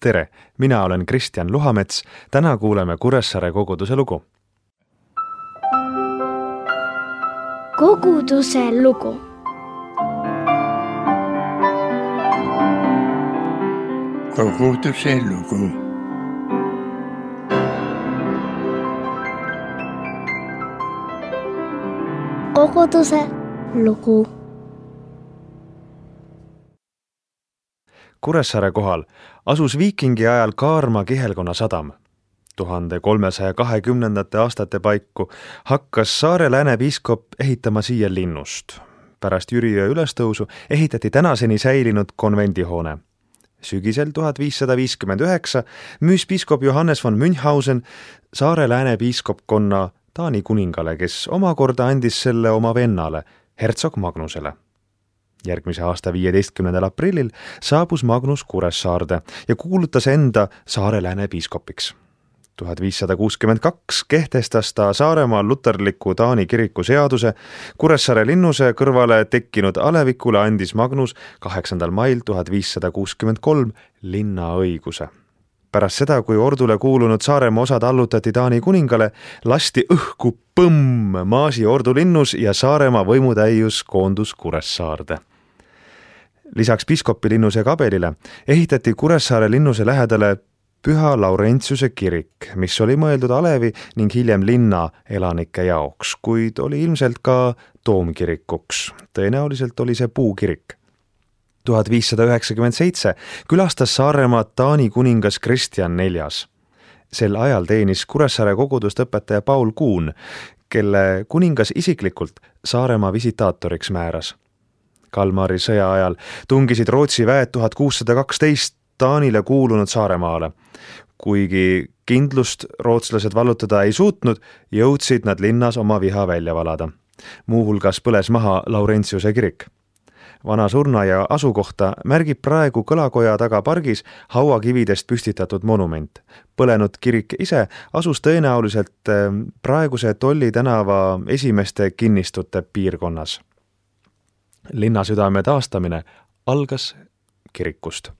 Tere, mina olen Kristjan Luhamets, täna kuuleme Kuressaare koguduse lugu. Koguduse lugu. Koguduse lugu. Koguduse lugu. Kuressaare kohal asus viikingi ajal Kaarma kihelkonna sadam. 1320. aastate paiku hakkas saare läänepiiskop ehitama siia linnust. Pärast Jüriöö ülestõusu ehitati tänaseni säilinud konvendihoone. Sügisel 1559 müüs piiskop Johannes von Münchhausen saare läänepiiskopkonna Taani kuningale, kes omakorda andis selle oma vennale, hertsog Magnusele. Järgmise aasta 15. aprillil saabus Magnus Kuressaarde ja kuulutas enda saare läänepiiskopiks. 1562 kehtestas ta Saaremaal luterliku Taani kiriku seaduse, Kuressaare linnuse kõrvale tekkinud alevikule andis Magnus 8. mail 1563 linnaõiguse. Pärast seda, kui ordule kuulunud Saaremaa osad allutati Taani kuningale, lasti õhku põmm maasi ordu linnus ja Saaremaa võimutäius koondus Kuressaarde. Lisaks piiskopi linnuse kabelile ehitati Kuressaare linnuse lähedale Püha Laurentiuse kirik, mis oli mõeldud alevi ning hiljem linna elanike jaoks, kuid oli ilmselt ka toomkirikuks. Tõenäoliselt oli see puukirik. 1597 külastas Saaremaad Taani kuningas Kristjan IV. Sel ajal teenis Kuressaare kogudust õpetaja Paul Kuhn, kelle kuningas isiklikult Saaremaa visitaatoriks määras. Kalmari sõja ajal tungisid Rootsi väed 1612 Taanile kuulunud Saaremaale. Kuigi kindlust rootslased vallutada ei suutnud, jõudsid nad linnas oma viha välja valada. Muuhulgas põles maha Laurentiuse kirik. Vana surna ja asukohta märgib praegu kõlakoja taga pargis hauakividest püstitatud monument. Põlenud kirik ise asus tõenäoliselt praeguse Tolli tänava esimeste kinnistute piirkonnas. Linnasüdame taastamine algas kirikust.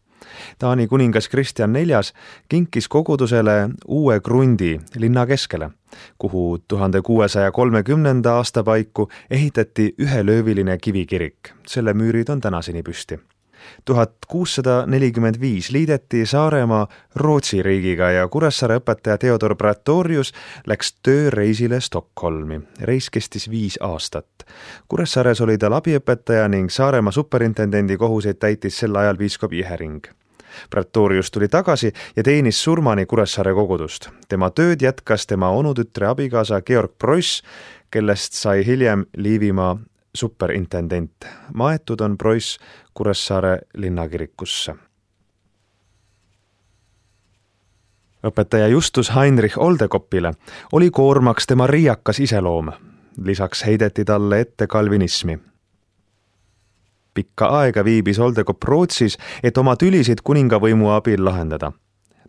Taani kuningas Kristjan IV kinkis kogudusele uue krundi linna keskele, kuhu 1630. aasta paiku ehitati ühelööviline kivikirik. Selle müürid on tänaseni püsti. 1645 liideti Saaremaa Rootsi riigiga ja Kuressaare õpetaja Theodor Praetorius läks tööreisile Stockholmi. Reis kestis 5 aastat. Kuressaares oli tal abiõpetaja ning Saaremaa superintendendi kohuseid täitis sel ajal piiskop Ihering. Praetorius tuli tagasi ja teenis surmani Kuressaare kogudust. Tema tööd jätkas tema onutütre abikaasa Georg Preuss, kellest sai hiljem Liivimaa superintendent. Maetud on Preuss Kuressaare linnakirikusse. Õpetaja Justus Heinrich Oldekopile oli koormaks tema riiakas iseloom. Lisaks heideti talle ette kalvinismi. Pikka aega viibis Oldekop Rootsis, et oma tülisid kuningavõimu abil lahendada.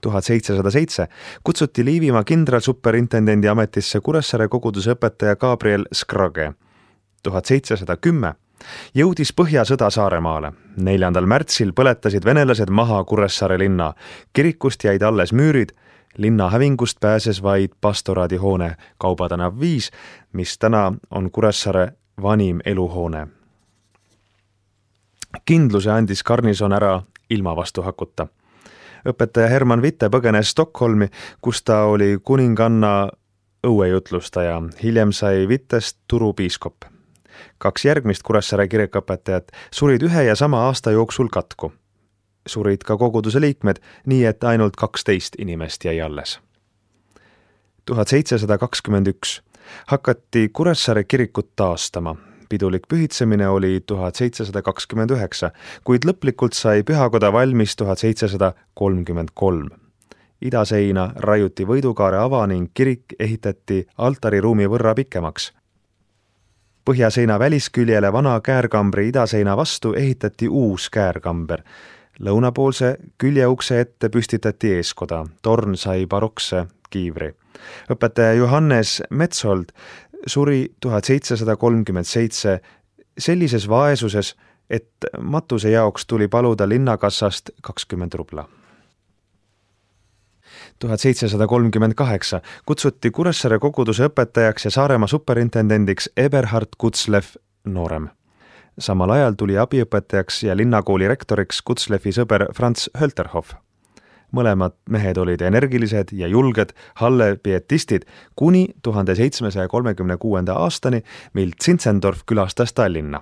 1707 kutsuti Liivimaa kindralsuperintendendi ametisse Kuressaare koguduse õpetaja Gabriel Skrage. 1710 jõudis Põhjasõda Saaremaale. 4. märtsil põletasid venelased maha Kuressaare linna. Kirikust jäid alles müürid, linna hävingust pääses vaid pastoraadihoone Kaubatanev 5, mis täna on Kuressaare vanim eluhoone. Kindluse andis garnison ära ilma vastu hakuta. Õpetaja Herman Witte põgenes Stockholmi, kus ta oli kuninganna õuejutlustaja. Hiljem sai Wittest Turu piiskop. 2 järgmist Kuressaare kirikuõpetajat surid ühe ja sama aasta jooksul katku. Surid ka koguduse liikmed, nii et ainult 12 inimest jäi alles. 1721 hakati Kuressaare kirikut taastama. Pidulik pühitsemine oli 1729, kuid lõplikult sai pühakoda valmis 1733. Idaseina raiuti Võidukaare ava ning kirik ehitati altariruumi võrra pikemaks. Põhjaseina välisküljele vana käärkambri idaseina vastu ehitati uus käärkamber. Lõunapoolse küljeukse ette püstitati eeskoda. Torn sai barokse kiivri. Õpetaja Johannes Metsold suri 1737 sellises vaesuses, et matuse jaoks tuli paluda linnakassast 20 rubla. 1738 kutsuti Kuressaare koguduse õpetajaks ja Saaremaa superintendendiks Eberhard Kutzlev noorem. Samal ajal tuli abiõpetajaks ja linnakooli rektoriks Kutzlevi sõber Franz Hölterhoff. Mõlemad mehed olid energilised ja julged Halle pietistid kuni 1736. aastani, mil Zinzendorf külastas Tallinna.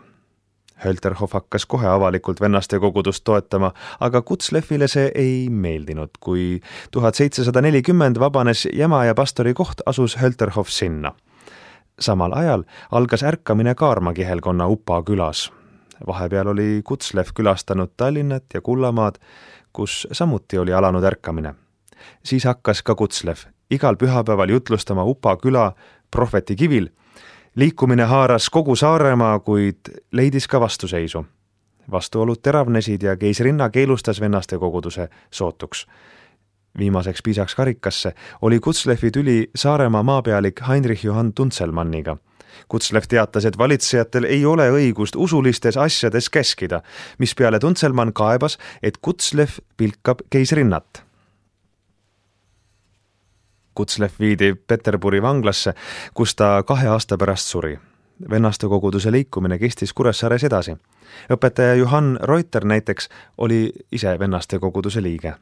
Hölterhoff hakkas kohe avalikult vennaste kogudust toetama, aga Kutzlevile see ei meeldinud. Kui 1740 vabanes Jämaja pastori koht, asus Hölterhoff sinna. Samal ajal algas ärkamine Kaarma kihelkonna Upa külas. Vahepeal oli Kutzlev külastanud Tallinnat ja Kullamaad, kus samuti oli alanud ärkamine. Siis hakkas ka Kutzlev igal pühapäeval jutlustama Upa küla Prohveti kivil. Liikumine haaras kogu Saaremaa, kuid leidis ka vastuseisu. Vastuolud teravnesid ja keisrinna keelustas vennaste koguduse sootuks. Viimaseks piisaks karikasse oli Kutzlevi tüli Saaremaa maapealik Heinrich Johann Tunzelmanniga. Kutzlev teatas, et valitsejatel ei ole õigust usulistes asjades käskida, mispeale Tunzelmann kaebas, et Kutzlev pilkab keisrinnat. Kutzlev viidi Peterburi vanglasse, kus ta 2 aasta pärast suri. Vennaste koguduse liikumine kestis Kuressaares edasi. Õpetaja Johann Reuter näiteks oli ise vennaste koguduse liige.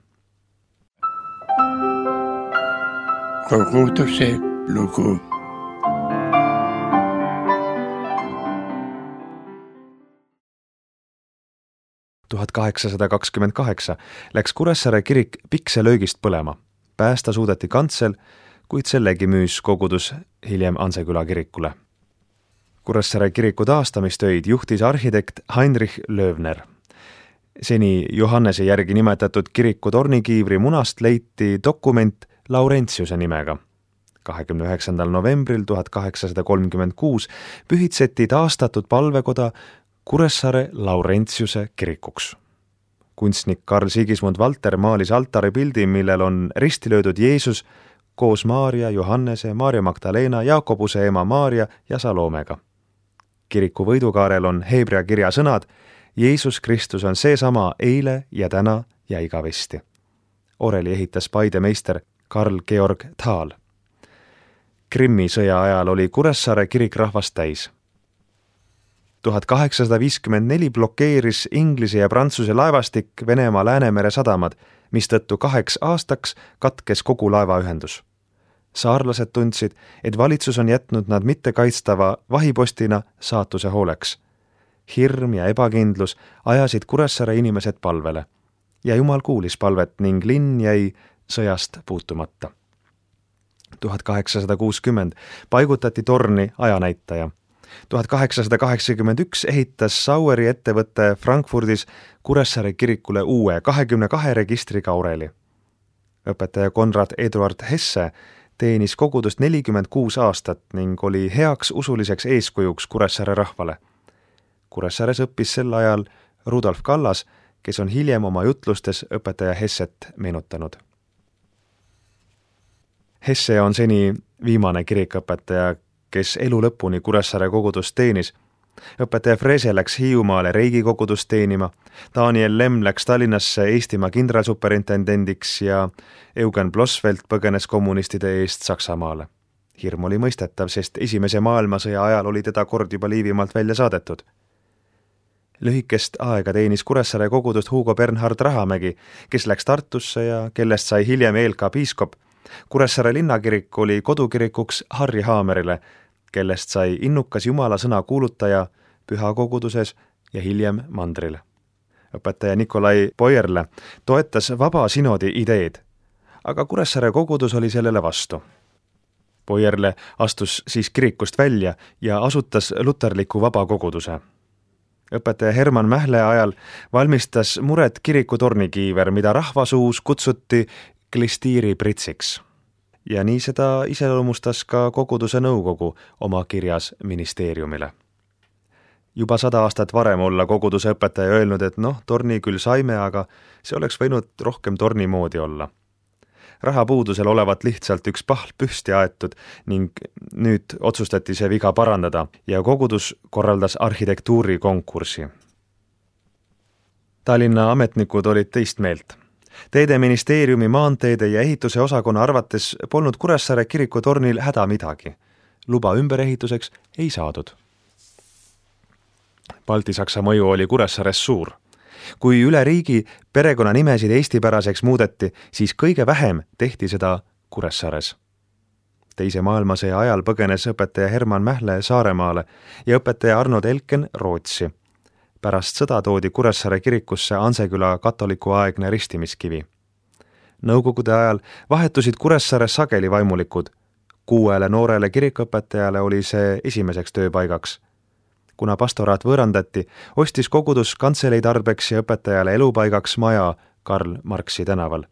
Koguduse lugu. Tuhat 1828 läks Kuressaare kirik pikselöögist põlema. Päästa suudeti kantsel, kuid sellegi müüs kogudus hiljem Anseküla kirikule. Kuressaare kiriku taastamistöid juhtis arhitekt Heinrich Löwner. Seni Johannese järgi nimetatud kiriku tornikiivri munast leiti dokument Laurentiuse nimega. 29. novembril 1836 pühitseti taastatud palvekoda Kuressaare Laurentiuse kirikuks. Kunstnik Karl Sigismund Valter maalis altari pildi, millel on risti löödud Jeesus koos Maaria, Johannese, Maaria Magdalena, Jaakobuse ema Maaria ja Salomega. Kiriku võidukaarel on heebrea kirja sõnad Jeesus Kristus on seesama eile ja täna ja igavesti. Oreli ehitas Paide meister Karl Georg Thal. Krimmi sõja ajal oli Kuressaare kirik rahvast täis. 1854 blokeeris Inglise ja Prantsuse laevastik Venemaa Läänemere sadamad, mistõttu 2 aastaks katkes kogu laevaühendus. Saarlased tundsid, et valitsus on jätnud nad mitte kaitstava vahipostina saatuse hooleks. Hirm ja ebakindlus ajasid Kuressaare inimesed palvele ja Jumal kuulis palvet ning linn jäi sõjast puutumata. 1860 paigutati torni ajanäitaja. 1881 ehitas Saueri ettevõtte Frankfurdis Kuressaare kirikule uue 22 registriga oreli. Õpetaja Konrad Eduard Hesse teenis kogudust 46 aastat ning oli heaks usuliseks eeskujuks Kuressaare rahvale. Kuressaares õppis sel ajal Rudolf Kallas, kes on hiljem oma jutlustes õpetaja Hesset meenutanud. Hesse on seni viimane kirikõpetaja, kes elu lõpuni Kuressaare kogudust teenis. Õpetaja Frese läks Hiiumaale Reigi kogudust teenima, Daniel Lemm läks Tallinnasse Eestimaa kindralsuperintendendiks ja Eugen Blossfeld põgenes kommunistide eest Saksamaale. Hirm oli mõistetav, sest Esimese maailmasõja ajal oli teda kord juba Liivimaalt välja saadetud. Lühikest aega teenis Kuressaare kogudust Hugo Bernhard Rahamägi, kes läks Tartusse ja kellest sai hiljem ELK piiskop. Kuressaare linnakirik oli kodukirikuks Harri Haamerile, kellest sai innukas Jumala sõna kuulutaja pühakoguduses ja hiljem mandril. Õpetaja Nikolai Poierle toetas vaba sinodi ideed, aga Kuressaare kogudus oli sellele vastu. Poierle astus siis kirikust välja ja asutas luterliku vaba koguduse. Õpetaja Herman Mähle ajal valmistas muret kiriku tornikiiver, mida rahvasuus kutsuti klistiiri pritsiks. Ja nii seda iseloomustas ka koguduse nõukogu oma kirjas ministeeriumile. Juba 100 aastat varem olla koguduse õpetaja öelnud, et torni küll saime, aga see oleks võinud rohkem torni moodi olla. Rahapuudusel olevat lihtsalt üks pahl püsti aetud ning nüüd otsustati see viga parandada ja kogudus korraldas arhitektuurikonkursi. Tallinna ametnikud olid teist meelt. Teedeministeeriumi maanteede ja ehituse osakonna arvates polnud Kuressaare kiriku tornil häda midagi. Luba ümberehituseks ei saadud. Balti-Saksa mõju oli Kuressaares suur. Kui üle riigi perekonnanimesid eestipäraseks muudeti, siis kõige vähem tehti seda Kuressaares. Teise maailmasõja ajal põgenes õpetaja Herman Mähle Saaremaale ja õpetaja Arnold Elken Rootsi. Pärast sõda toodi Kuressaare kirikusse Anseküla katolikuaegne ristimiskivi. Nõukogude ajal vahetusid Kuressaares sageli vaimulikud. 6 noorele kirikuõpetajale oli see esimeseks tööpaigaks. Kuna pastoraat võõrandati, ostis kogudus kantselei tarbeks ja õpetajale elupaigaks maja Karl Marxi tänaval.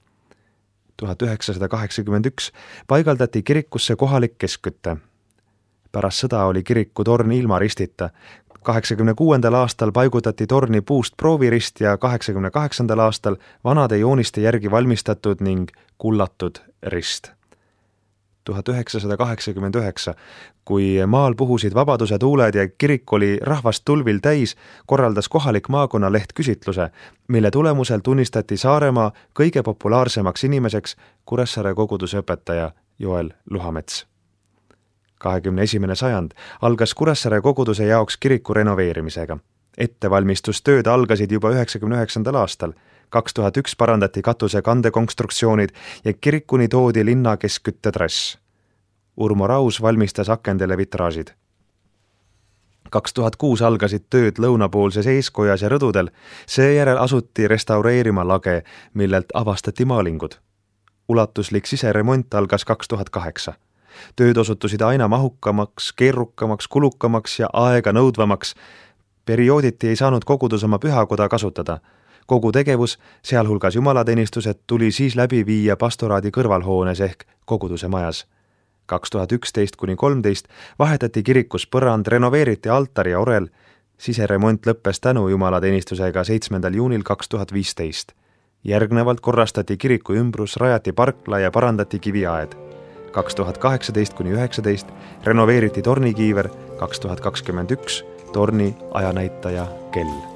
1981 paigaldati kirikusse kohalik keskkütte. Pärast sõda oli kiriku torn ilma ristita. 86. aastal paigutati torni puust proovirist ja 88. aastal vanade jooniste järgi valmistatud ning kullatud rist. 1989, kui maal puhusid vabaduse tuuled ja kirik oli rahvast tulvil täis, korraldas kohalik maakonnaleht küsitluse, mille tulemusel tunnistati Saaremaa kõige populaarsemaks inimeseks Kuressaare koguduse õpetaja Joel Luhamets. 21. sajand algas Kuressaare koguduse jaoks kiriku renoveerimisega. Ettevalmistustööd algasid juba 1999. aastal. 2001 parandati katuse kandekonstruktsioonid ja kirikuni toodi linna keskküttetrass. Urmo Raus valmistas akendele vitraažid. 2006 algasid tööd lõunapoolses eeskojas ja rõdudel, seejärel asuti restaureerima lage, millelt avastati maalingud. Ulatuslik siseremont algas 2008. Tööd osutusid aina mahukamaks, keerukamaks, kulukamaks ja aega nõudvamaks. Periooditi ei saanud kogudus oma pühakoda kasutada. Kogu tegevus, sealhulgas jumalateenistused, tuli siis läbi viia pastoraadi kõrvalhoones ehk koguduse majas. 2011–13 vahetati kirikus põrand, renoveeriti altar ja orel. Siseremont lõppes tänu jumalateenistusega 7. juunil 2015. Järgnevalt korrastati kiriku ümbrus, rajati parkla ja parandati kiviaed. 2018–19 renoveeriti tornikiiver, 2021 torni ajanäitaja kell.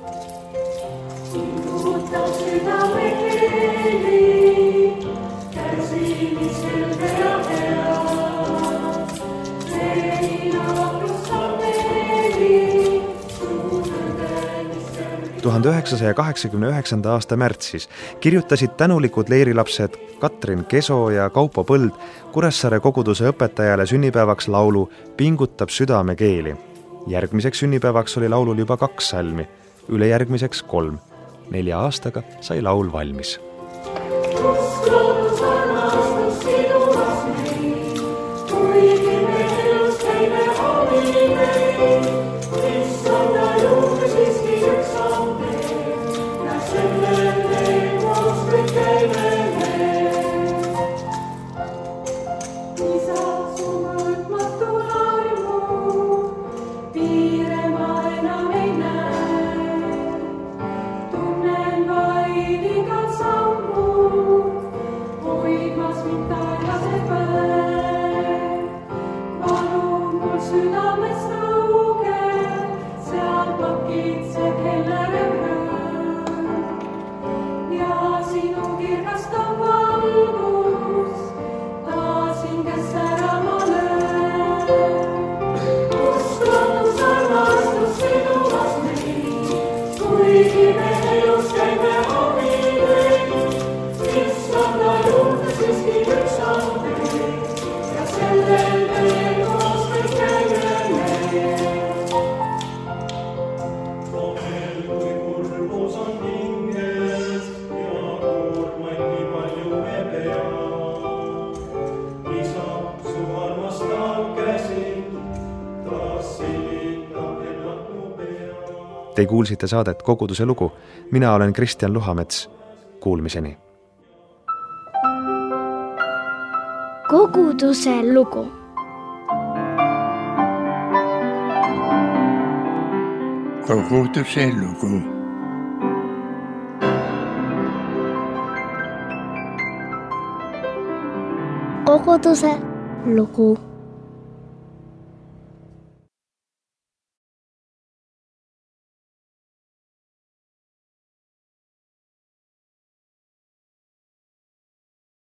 Tuhande 1989. aasta märtsis kirjutasid tänulikud leirilapsed Katrin Keso ja Kaupo Põld Kuressaare koguduse õpetajale sünnipäevaks laulu Pingutab südame keeli. Järgmiseks sünnipäevaks oli laulul juba 2 salmi, ülejärgmiseks 3. 4 aastaga sai laul valmis. Te kuulsite saadet Koguduse lugu. Mina olen Kristjan Luhamets. Kuulmiseni. Koguduse lugu. Koguduse lugu. Koguduse lugu.